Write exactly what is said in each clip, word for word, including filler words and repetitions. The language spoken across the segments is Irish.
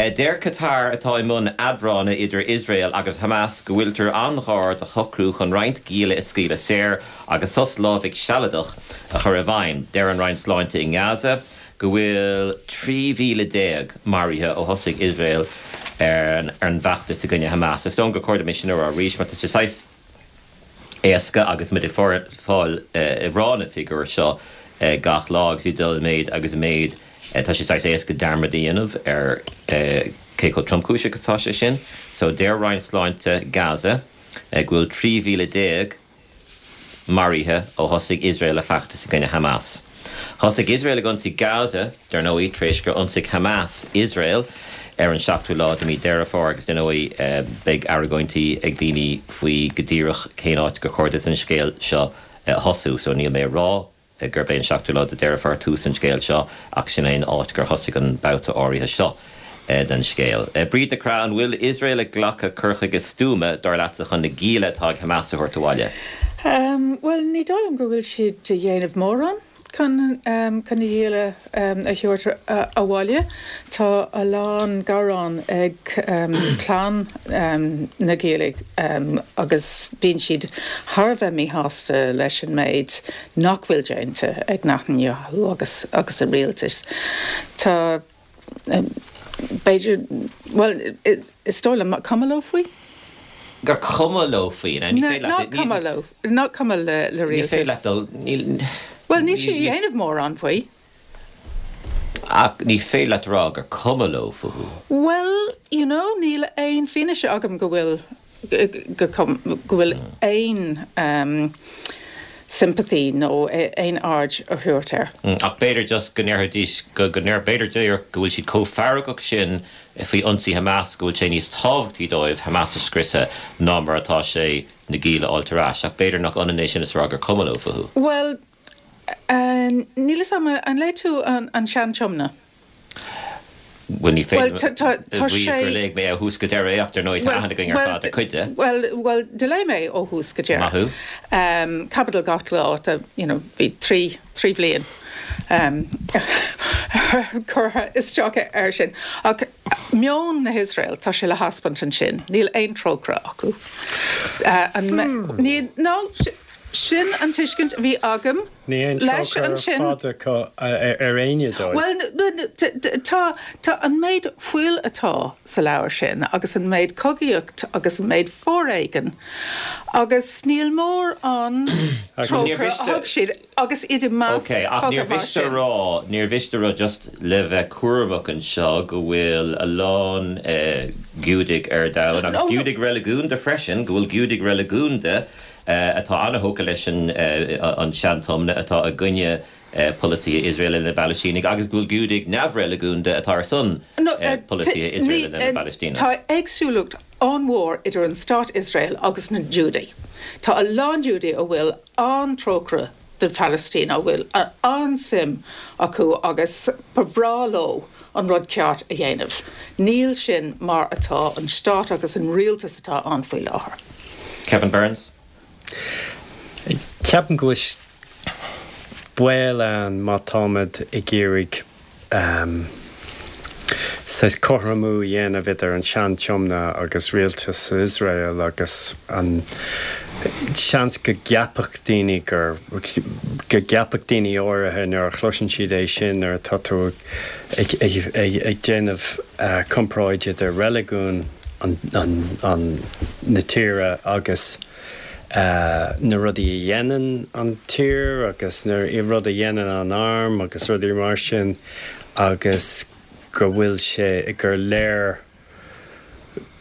Deir Qatar atá i mbun eadrána idir Iosrael agus Hamas go bhfuiltear an-ghar do shocrú chun roinnt gialla a scaoileadh saor agus sos lámhaigh sealadach a chur i bhfeidhm. Deir an Roinn Sláinte i nGaza go bhfuil trí mhíle déag maraithe ó thosaigh Iosrael ar an bhfeachtas i gcoinne Hamas. Is dóigh gur chóir dom é sin a rá arís mar tá sé saghas éasca agus muid ag fáil ag rá na figiúir seo gach lá agus iad ag dul i méid agus i méid. Tá sé saghas éasca dearmad a dhéanamh ar cé chomh tromchúiseach atá sé sin. So deir Roinn Sláinte Gaza go bhfuil trí mhíle déag maraithe ó thosaigh Iosrael a feachtas i gcoinne Hamas. Thosaigh Iosrael ag ionsaí Gaza, dar ndóigh, tar éis gur ionsaigh Hamas Iosrael ar an seachtú lá de mhí Deireadh Fómhair agus dar ndóigh beidh argóintí ag daoine faoi go díreach cén áit gur chóir duit an scéal seo a thosú. So níl mé ag rá gurb é an seachtú lá de Deireadh Fómhair tús an scéil seo ach sin é an áit gur thosaigh an babhta áirithe seo den scéal. Bríd de Cra, an bhfuil Iosrael ag glacadh cur chuige stuama, dar leatsa, chun na gialla atá ag Hamas a thabhairt abhaile? Bhuel, ní dóigh liom go bhfuil siad a dhéanamh mórán chun chun na gialla a thabhairt abhaile. Tá a lán gearán ag clann na ngiall agus bíonn siad thar a bheith míshásta leis an méid nach bhfuil déanta ag Netanyahu agus agus a rialtas. Tá b'fhéidir, bhuel, is dóigh liom cuma leo faoi. Gur cuma leo faoi, ní féidir leat. Nach cuma leo, nach cuma le le Ní féidir leat rialtas. dul, níl. Bhuel, níl siad ag déanamh mórán faoi. Ach ní féidir leat a rá gur cuma leo fúthu. Bhuel, you know, níl aon fianaise agam go bhfuil go go bhfuil aon sympathy nó aon aird a thabhairt air. Ach b'fhéidir just go ndéarfaidís go go ndéar b'fhéidir díreach go bhfuil siad chomh feargach sin faoi ionsaí Hamas go bhfuil sé níos tábhachtaí dóibh Hamas a scriosadh ná mar atá sé na gialla a fháilt ar ais. Ach b'fhéidir nach ionann é sin is a rá gur cuma leo fúthu. Bhuel, níl a fhios agam, an léigh tú an Sean-Tiomna? Bhuel, ní Bhuel, féidir tá tá a tá mhaíomh sé gur léigh mé ó thús go deireadh é ach dar ndóigh tá Bhuel, aithne againn ar bhuel, fad ar chuid de. bhuel, bhuel, do léigh mé ó thús go Maith deireadh. thú. Um, caibidil gach lá, tá, you know, bhí trí trí bhliain um, curtha isteach air sin. Ach meon na hIosrael, tá sé le taispeáint ansin, níl aon trócaire acu. Uh, an me, ní, no, sin an tuiscint a bhí agam Ní aon leis trócaire ansin. fada acu ar éinne dóibh. Well, tá tá an méid fuil atá sa leabhar sin agus an méid cogaíocht agus an méid foréigean agus níl mórán trócaire a thug siad agus iad i measc Ok, ach níor cogadh mar mhiste a sin. rá, níor mhiste a rá just le bheith cúramach anseo go bhfuil a lán eh, Giúdaigh ar domhan agus No, no. Giúdaigh reiligiúnda freisin, go bhfuil Giúdaigh reiligiúnda eh, atá an-tógtha leis an, eh, an Sean-Tiomna atá i gcoinne eh, polasaithe Iosrael na bPalaistínigh agus go bhfuil Giúdaigh neamhreiligiúnda atá ar son No, eh, uh, polasaithe t- Iosrael ní- na uh, bPalaistínigh. Tá éagsúlacht an-mhór idir an stát Iosrael agus na Giúdaigh. Tá a lán Giúdaigh a bhfuil an-trócaire do Palestine a bhfuil an-suim acu agus ba bhreá leo an rud ceart a dhéanamh. Níl sin mar atá an stát agus an rialtas atá ann faoi láthair. Kevin Burns? Ceapaim go bhfuil baol ann má táimid ag iarraidh um, saghas cothromú a dhéanamh idir an Sean-Tiomna agus rialtas Iosrael agus an seans go gceapfadh daoine gur go gceapfadh daoine áirithe nuair a chloiseann siad é sin nuair atá tú ag, ag, ag, ag déanamh uh, comparáid idir reiligiún an, an, an, na tíre agus uh, na rudaí a dhéanann an tír agus na i rud a dhéanann an arm agus rudaí mar sin agus go bhfuil sé gur léir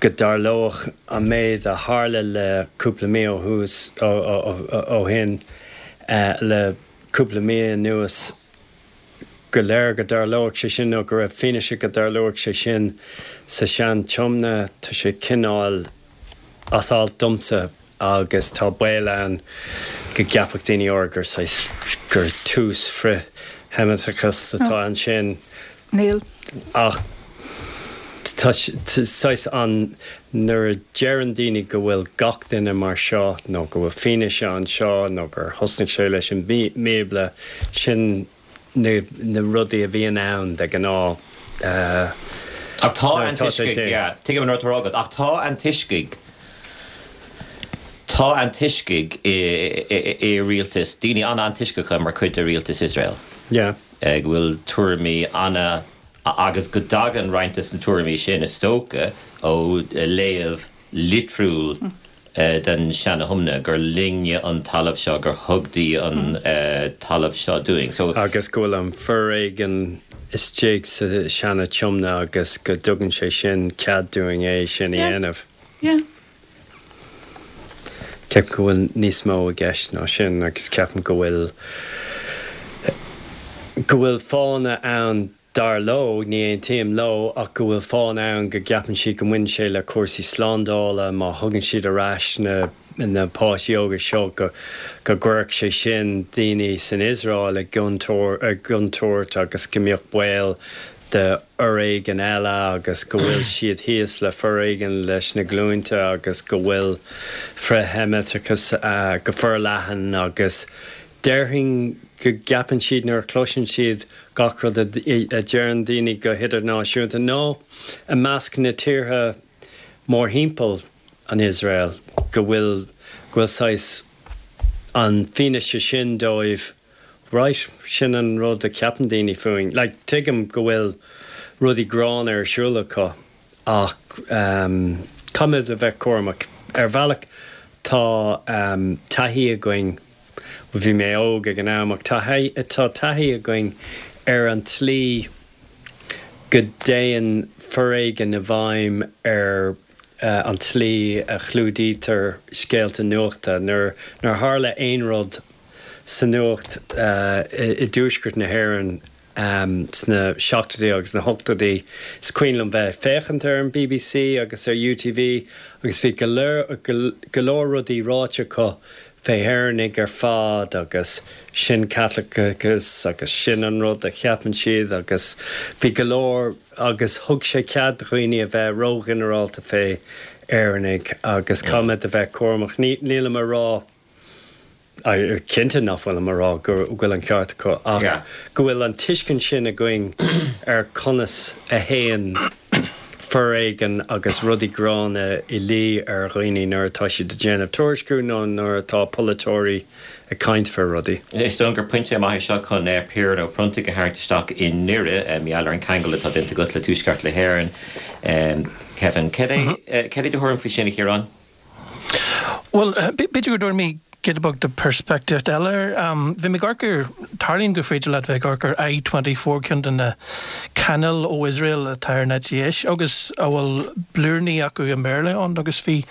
go dtarlódh an méid a tharla le cúpla mí ó thús ó, ó, ó, ó shin uh, le cúpla mí anuas go léir go dtarlódh sé sin nó go raibh fianaise go dtarlódh sé sin sa Sean-Tiomna tá sé cineál as alt domsa agus tá baol ann go gceapfadh daoine áirithe gur saghas gur tús frith-Sheimiteachas atá ansin Níl. ach tá saghas an nuair a deireann daoine go bhfuil gach duine mar seo nó go bhfuil fianaise anseo nó gur thosnaigh sé leis an mBíobla sin na, na rudaí a bhíonn ann de ghnáth uh, Ach tá antoiscigh, yeah, tuigim an rud atá agat, ach tá antoiscigh, tá antoiscigh i rialtas, daoine an-antoisceacha mar chuid de rialtas Iosrael. Yeah. Go bhfuil tuairimí ana, agus go dtagann roinnt de na tuairimí sin, is dócha, ó léamh litriúil den Seana-Thiomna, gur linne an talamh seo, gur thug Dia an talamh seo dúinn. So. Agus go bhfuil an foréigean istigh sa Seana-Tiomna agus go dtugann sé sin cead dúinn é sin a dhéanamh. Yeah. Ceapaim go bhfuil níos mó i gceist ná sin agus ceapaim go bhfuil go bhfuil fáthanna ann Dar leo, ní aontaím leo, ach go bhfuil fáthanna ann go gceapann siad go mbaineann sé le cúrsaí slándála, má thugann siad ar ais na na páistí óga seo go go gcuirfeadh sé sin daoine san Iosrael i gcontúirt agus go mbeadh baol de fhoréigean eile agus go bhfuil siad thíos le foréigean leis na glúinte agus go bhfuil frith-Sheimiteachas go forleathan agus Déarfainn go gceapann siad nuair a chloiseann siad gach rud a deireann daoine go hidirnáisiúnta nó i measc na tíortha mórthimpeall an Iosrael go bhfuil go bhfuil saghas an fianaise sin dóibh right sin an rud a cheapann daoine fúinn. Like tuigim go bhfuil rudaí gránna ar siúl acu ach caithfimid a bheith cúramach. Ar bhealach tá taithí againn Bhí mé óg ag an am ach tá taithí againn ar an tslí go dtéann foréigean i bhfeidhm ar an tslí a chlúdaítear scéalta nuachta. Nuair a tharla aon rud sa nuacht i dtuaisceart na hÉireann, Sna seachtóidí agus na hochtóidí, is cuimhin liom bheith ag féachaint ar an bbc agus ar UTV agus bhí go leor rudaí ráite acu fé Éireannaigh ar fad agus sin Caitliceachas agus sin an rud a cheapann siad agus bhí go leor agus thug sé cead do dhaoine a bheith róghinearálta fé Éireannaigh agus caithfimid a bheith cúramach. Nílim a rá. Cinnte nach bhfuilim a rá go bhfuil an ceart acu ach go bhfuil an tuiscint sin againn ar conas a théann foréigean agus rudaí gránna i luí ar dhaoine nuair atá siad ag déanamh tuairisciú nó nuair atá polaiteoirí ag caint fé rudaí. Is dóigh gur pointe maith é seo chun Ciarán Ó Pronntaigh a tharraingt isteach i nDoire, mar gheall ar an ceangal atá déanta agat le Tuaisceart na hÉireann. Kevin, cad é cad é do thuairim faoi sin, a Chiaráin? Bhuel, b'fhéidir go dtabharfaidh mé giota beag de peirspictíocht eile air. Bhí mé ag amharc ar, tarlaíonn gur féidir leat bheith ag amharc ar I twenty four, ceann de na cainéil ó Iosrael atá ar an eite dheis agus a bhfuil blúiríní acu i mBéarla ann agus bhí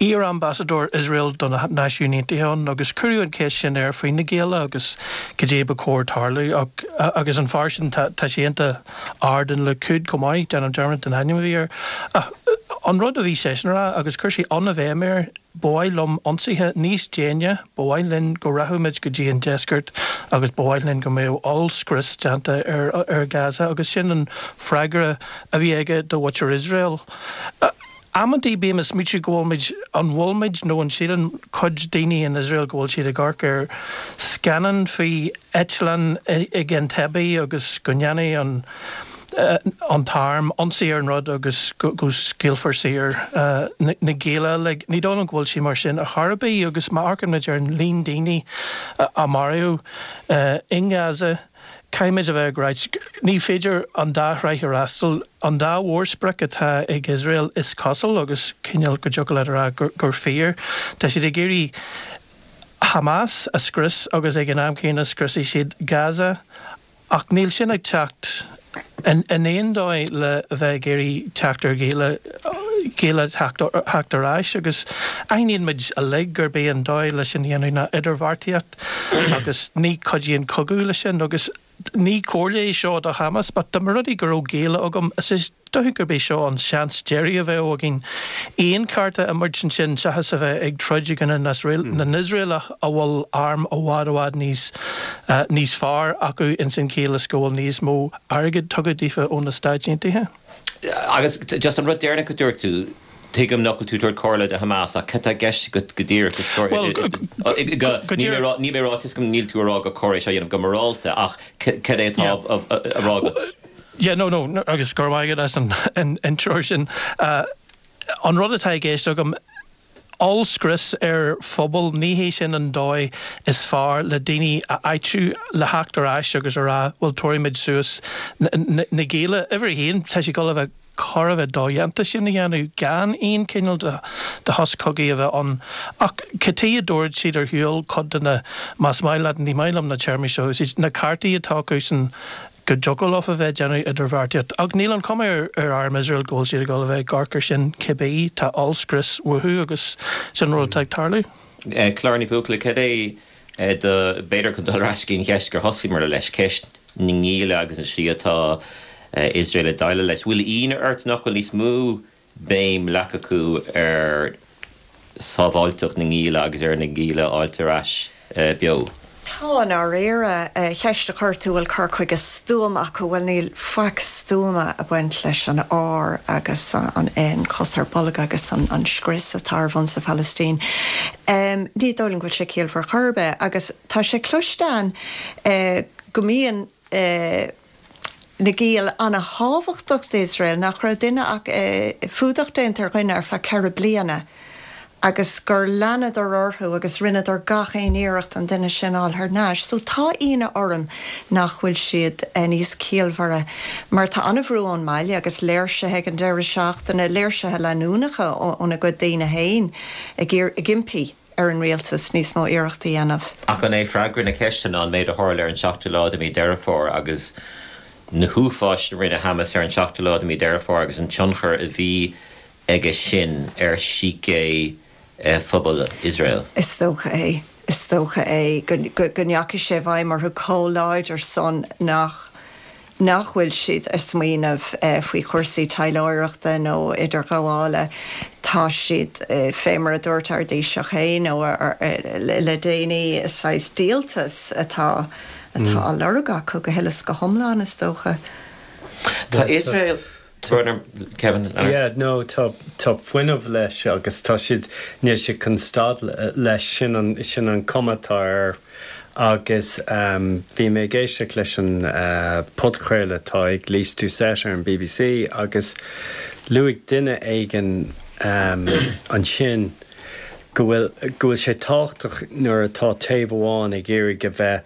iar-ambasadóir Iosrael do na Náisiúin Aontaithe ann agus cuireadh an cheist sin air faoi na gialla agus cad é ba chóir tarlú ach agus an fear sin tá tá sé iontach ard in Likud chomh maith, déanaim dearmad den ainm a bhí air ach an rud a bhí seisean a rá agus chuir sé an-bhéim air, Ba mhaith liom ionsaithe níos déine, ba mhaith linn go rachadh muid go dtí an deisceart agus ba mhaith linn go mbeadh ollscrios déanta ar Gaza agus sin an freagra a bhí aige do mhuintir Iosrael. Amantaí bím ag smaoitiú go bhfuil muid, an bhfuil muid nó an síleann cuid daoine in Iosrael go bhfuil siad ag amharc ar scannán faoi eitleán ag Entebbe agus go ndéanfaidh an an t-arm ionsaí ar an rud agus go scaoilfear saor na gialla. Like, ní dóigh liom go bhfuil sé mar sin ar chor ar bith agus má amharcann muid ar an líon daoine a maraíodh i nGaza, caithfimid a bheith ag ráit, ní féidir an dá thráigh a fhreastal. An dá mhórsprioc atá ag Iosrael, is cosúil, agus cineál go dtiocfadh leat a rá gur fíor, tá siad ag iarraidh Hamas a scrios agus ag an am céanna scriosfaidh siad Gaza. Ach níl sin ag teacht in aon dóigh le a bheith ag iarraidh teacht ar ghialla, gialla theacht ar ais agus aithníonn muid uilig gurb é an dóigh le sin a dhéanamh ná idirbheartaíocht agus ní chuidíonn cogadh leis sin agus ní comhairle é seo do Hamas but dá mba rud é go raibh gialla agam is dócha gurb é seo an seans deiridh a bheadh againn aon chárta a imirt ansin seachas a bheith ag troid i gcoinne na nIosraelach a bhfuil arm i bhfad i bhfad níos níos fearr acu ins an chiall is go bhfuil níos mó airgid tugtha daofa ó na Stáit Aontaithe. Agus just an rud deireanach a dúirt tú, tuigim nach bhfuil tú ag tabhairt comhairle do Hamas ach cad tá i gceist agat go díreach? Is cóir Bhuel, go go níl mé díreach. níl mé ag rá, tuigim níl tú ag rá gur cóir é seo a dhéanamh go morálta ach cad é atá Yeah. á rá agat? Yeah, no, no, agus go raibh maith agat as an an treoir sin. An rud atá i gceist agam, ollscrios ar phobal, ní hé sin an dóigh is fearr le daoine a áitiú le theacht ar ais agus a rá bhuel tabharfaimid suas na gialla. Uimhir a haon, tá sé ag dul a bheith chóir a bheith dodhéanta sin a dhéanamh gan aon chineál de shos cogaidh a bheith ann. Ach cad chuige a dtabharfaidh siad ar shiúl cuid de na, más maith leat, ní maith liom na téarmaí seo a úsáid, na cártaí atá acusan go dtiocfadh leo a bheith ag déanamh idirbheartaíocht. Ach níl an chuma ar ar arm Iosrael go bhfuil siad ag dul a bheith ag amharc air sin cibé. Tá ollscrios uathu agus sin an rud atá ag tarlú. Clára Ní Bhuachalla, cad é do, b'fhéidir chun dul ar ais go dtí an cheist gur thosaíomar leis, ceist na ngialla agus an slí atá Iosrael ag déileáil leis. Bhfuil ionadh ort nach bhfuil níos mó béim leagtha acu ar sábháilteacht na ngialla agus ar na gialla a fháilt ar ais beo? Tá, i ndáiríre. Ceist a chuir tú, bhfuil cur chuige stuama acu? Bhuel, níl faic stuama ag baint leis an ár agus an N, cos ar bolg agus an scrios atá ar bun sa Phalaistín. Ní dóigh liom go bhfuil sé ciallmhar chor ar bith. Agus tá sé cloiste ann go mbíonn na giall ana-thábhachtach d'Iosrael, nach raibh duine ach fuadach déanta ar dhuine ar feadh ceithre bliana agus gur leanadar orthu agus rinneadar gach aon iarracht an duine sin a fháil thar n-ais. So tá ionadh orm nach bhfuil siad níos ciallmhaire mar tá an-bhrú ón mbaile agus léirsithe ag an deireadh seachtaine, léirsithe leanúnacha óna gcuid daoine féin ag ag impí ar an rialtas níos mó iarrachtaí a dhéanamh. Ach an é freagra na ceiste ná an méid a tharla ar an seachtú lá de mhí Deireadh Fómhair agus na huafáis a rinne Hamas ar an seachtú lá de mhí Deireadh Fómhair agus an tionchar a bhí aige sin ar shícé phobal Iosrael? Is dócha é. Is dócha é go ndeachaigh sé i bhfeidhm orthu chomh láidir san nach nach bhfuil siad ag smaoineamh faoi chúrsaí taidhleoireachta nó idirghabhála. Tá siad, fé mar a dúirt ár dTaoiseach féin le déanaí, saghas díoltas atá atá á lorg acu go huile is go hiomlán, is dócha. Tá Iosrael. Kevin, Yeah, no, tá tá fuinneamh leis agus tá siad, níl siad chun stad leis, sin an sin an cuma atá air. Agus bhí mé ag éisteacht leis an podchraoladh atá ag Lyse Doucet ar an B B C agus luaigh duine éigin ansin go bhfuil go bhfuil sé tábhachtach nuair atá taobh amháin ag iarraidh a bheith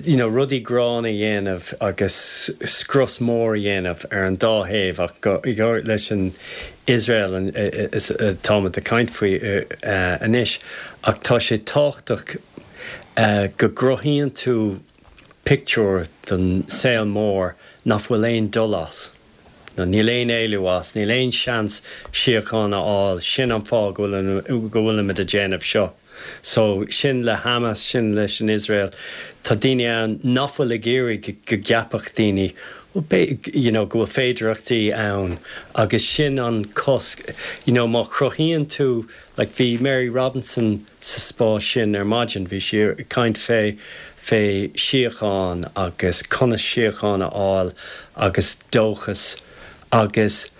you know rudaí gránna a dhéanamh agus scrios mór a dhéanamh ar an dá thaobh, ach go leis an Iosrael atáimid ag caint faoi anois, ach tá sé tábhachtach go gcruthaíonn tú pictiúr don saol mór nach bhfuil aon dul as. Nó níl aon éalú as, níl aon seans síocháin a fháil, sin an fáth go bhfuilimid ag déanamh seo. So sin le Hamas, sin leis an Iosrael. Tá daoine ann nach bhfuil ag iarraidh go gceapfadh daoine you know go bhfuil féidearthachtaí ann agus sin an cosc. You know má chruthaíonn tú, like bhí Mary Robinson sa spás sin ar maidin, bhí sí ag caint fé fé síocháin agus conas síocháin a fháil agus dóchas agus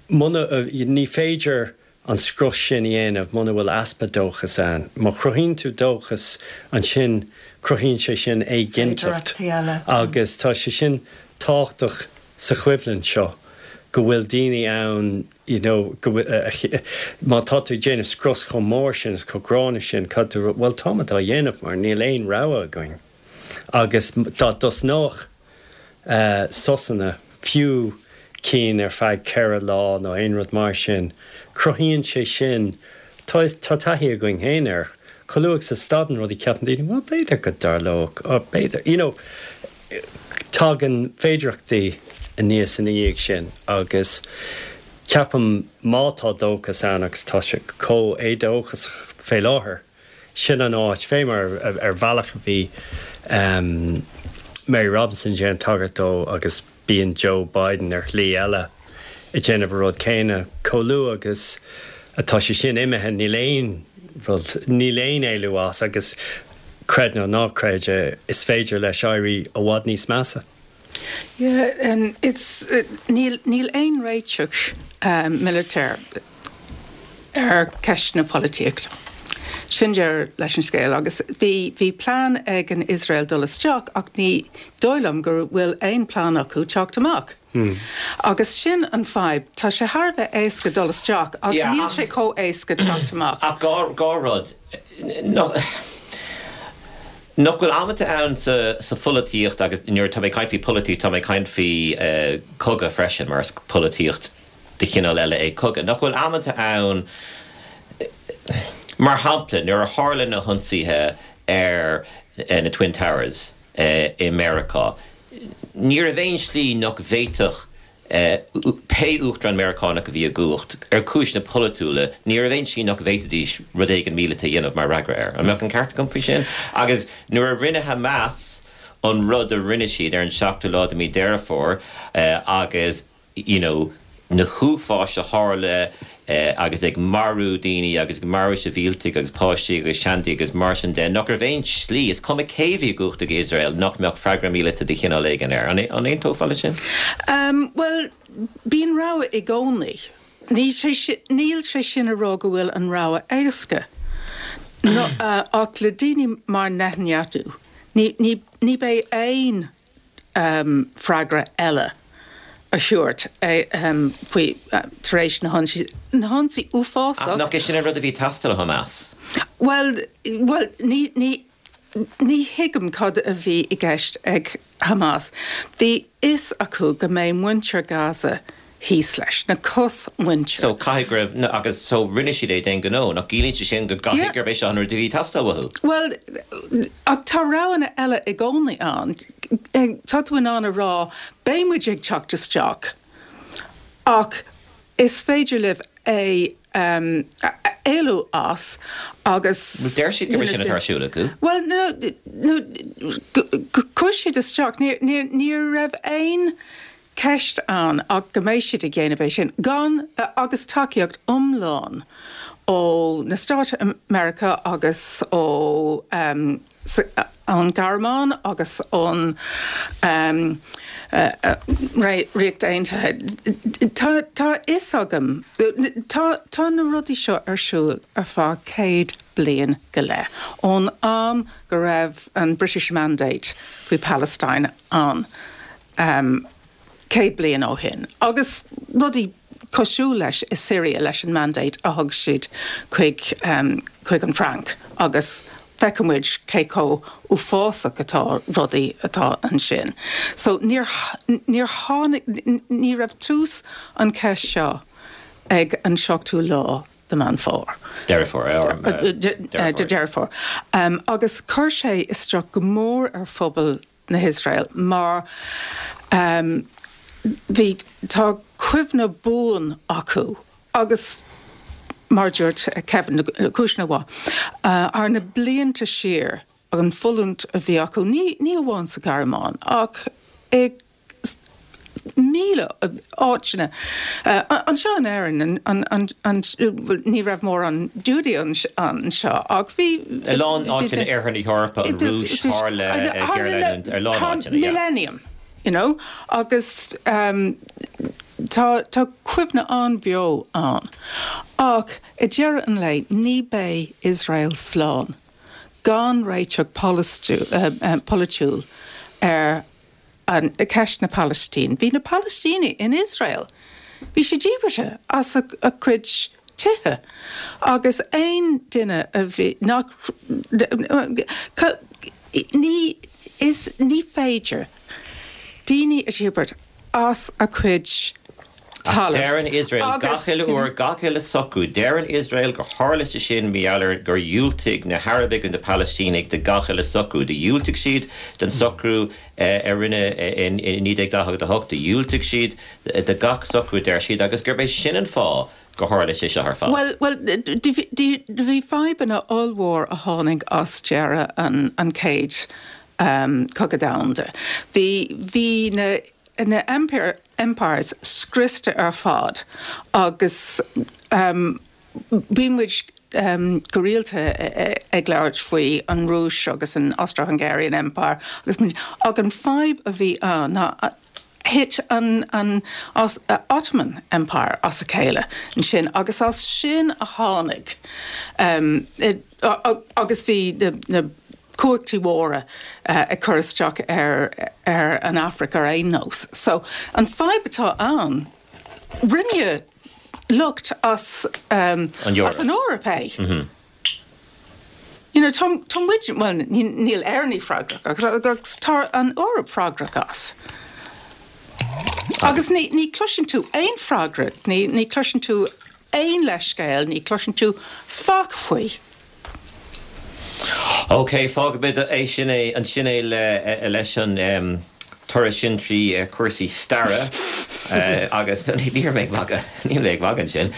muna, ní féidir an scrios sin a dhéanamh muna bhfuil easpa dóchas ann. Má chruthaíonn tú dóchas, ansin cruthaíonn sé sin éiginnteacht agus tá sé sin tábhachtach sa choimhlint seo go bhfuil daoine ann you know go bhfuil, má tá tú ag déanamh scrios chomh mór sin is chomh gránna sin, cad tú, bhuel táimid á dhéanamh mar níl aon rogha againn agus dá dtosnódh sosanna, fiú cinn ar feadh ceithre lá nó aon rud mar sin, cruthaíonn sé sin, tá tá taithí againn féin air, chomh luath is a stadann rudaí ceapann daoine, bhuel b'fhéidir go dtarlódh, b'fhéidir, you know, tagann féidearthachtaí aníos ina dhiaidh sin agus ceapaim má tá dóchas ann agus tá sé chomh éadóchasach fé láthair, sin an áit, fé mar ar bhealach a bhí Mary Robinson ag déanamh tagairt dó agus bíonn Joe Biden ar shlí eile ag déanamh an rud céanna. Chomh luath agus atá sé sin imithe níl aon rud, níl aon éalú as agus creid nó ná creid é, is féidir leis éirí i bhfad níos measa. Yeah, um, it's, uh, níl, níl aon réiteach um, military ar ceist na polaitíochta. Sin deireadh leis an scéal agus bhí bhí plean ag an Iosrael dul isteach ach ní dóigh liom go bhfuil aon plean acu teacht amach. Hmm. Agus sin an fadhb tá sé thar a bheith éasca dul isteach ach Yeah, níl ach- sé chomh éasca teacht amach. Ach dhá dhá rud no, Nach bhfuil amanta ann sa, sa pholaitíocht agus nuair tá mé ag caint faoi polaitíocht tá mé ag caint faoi uh, cogadh freisin mar is polaitíocht de chineál eile é cogadh. Nach bhfuil amanta ann mar shampla nuair a tharla na hionsaithe ar uh, na Twin Towers uh, i Meiriceá. Ní raibh aon slí nach bhféadfadh uh, pé uachtarán Meiriceánach a bhí i gcumhacht ar chúiseanna polaitiúla, ní raibh aon slí nach bhféadfaidís rud éigin míleata a dhéanamh mar fhreagra air. An mbeadh an ceart agam faoi sin, agus nuair a rinne Hamas an rud a rinne siad ar an seachtú lá de mí Deireadh Fómhair uh, agus you know, na huafáis a tharla eh, agus ag marú daoine agus ag marú sibhialtaigh agus páistí agus seandaoine agus mar sin de nach raibh aon slí is cuma cé bhí i gcumhacht ag Israel nach mbeadh freagra míleata de chineál éigin air. An an aontófá leis sin? Um, well, bíonn rogha i gcónaí. Ní sé si- Níl sé sin a rá go bhfuil an rogha éasca. No, uh, ach le daoine mar Netanyahu, ní, ní, ní bheidh aon um, freagra eile a thabhairt um, faoi uh, tar éis na hionsaí na hionsaí uafásach. Nach é sin an rud a bhí ag teastáil ó Hamas. Well, well ní, ní, ní thuigim cad a bhí i gceist ag Hamas. Bhí fhios acu go mbeidh muintir Gaza thíos leis, na cosmhuintir. So caithfidh go raibh agus so rinne siad é d'aon ghnó nach gciallaíonn sé sin go Yeah. gcaithfidh gurb é seo an rud a bhí ag teastáil uathu. Well, ach tá roghanna eile i gcónaí ann. Tá tú in ann a rá beidh muid ag teacht isteach. Ach is féidir libh é um, éalú as agus Deir siad go sin atá ar siúl acu. Well no, no chuir siad isteach ní ní raibh aon ceist ann ach go mbeidh siad ag déanamh é sin gan agus tacaíocht iomlán ó na Stáit America agus ó um, an Ghearmáin agus ón um, uh, uh, Ríocht Aontaithe. Tá tá fhios agam tá tá na rudaí seo ar siúl ar feadh céad bliain go leith. Ón am go raibh an British Mandate faoi Palestine an um, céad bliain ó shin. Agus rudaí cosúil leis i Syria leis an mandate a thug siad chuig um, chuig an Frainc agus feicimid cé chomh uafásach atá rudaí atá ansin. So níor níor tháinig ní raibh tús an ceist seo ag an seachtú lá de Mheán Fómhair. Deireadh Fómhair de Deireadh Fómhair. Um, agus chuir sé isteach go mór ar phobal na hIosrael mar um, bhí tá cuimhne buan acu agus mar dúirt Kevin cúisna uh, ar na blianta siar ag an fulaingt a bhí acu ní ní amháin sa Ghearmáin ach ag míle áiteanna. Uh, anseo in Éirinn an, an, an, ní raibh mórán Giúdach anseo ach bhí A lán áiteanna ar na hEorpa an Rúis tharla ar lán áiteanna. Millennium. You know agus um, tá tá cuimhne an-bheo ann. Ach i deireadh an lae ní bheidh Israel slán, gan réiteach uh, uh, polaitiúil ar an ceist na Palaistíne. Bhí na Palaistínigh in Israel. Bhí siad díbeartha as a, a cuid tithe. Agus aon duine a bhí nach ní is ní féidir daoine a dhíbirt as a cuid talamh. Deireann Israel gach uile uair gach uile socrú, Deireann Israel gur tharla sé sin mar gur dhiúltaigh na hArabaigh na Palaistínigh do gach uile socrú, do dhiúltaigh siad den socrú a rinneadh in naoi déag daichead a hocht, do dhiúltaigh siad de gach socrú deir siad agus gurb é sin an fáth gur tharla sé seo ar fad. Well, well, do bhí fadhbanna ollmhór a tháinig as deireadh an, an chéad um, cogadh domhanda. Bhí bhí na na empire, empires scriosta ar fad agus um, bhí muid um, go rialta ag labhairt faoi an Rúis agus an Austro-Hungarian Empire agus ag an fadhb a bhí ann ná Thit an an Ottoman Empire as a chéile ansin agus as sin a tháinig agus bhí na cumhachtaí mhóra ag cur isteach ar ar an Afraic ar aon nós. So an fadhb atá ann, rinne lucht as um, An Eoraip. as an Eoraip é. You know, tá tá muid well, níl Éireannaigh freagrach agus agus tá an Eoraip freagrach as. Agus ní ní chloiseann tú aon freagra, ní ní chloiseann tú aon leithscéal, ní chloiseann tú faic faoi. Ok, fágfaimid é sin é ansin é le leis an um, turas sin trí uh, cúrsaí staire uh, agus ní mé magadh ní mé magadh sin.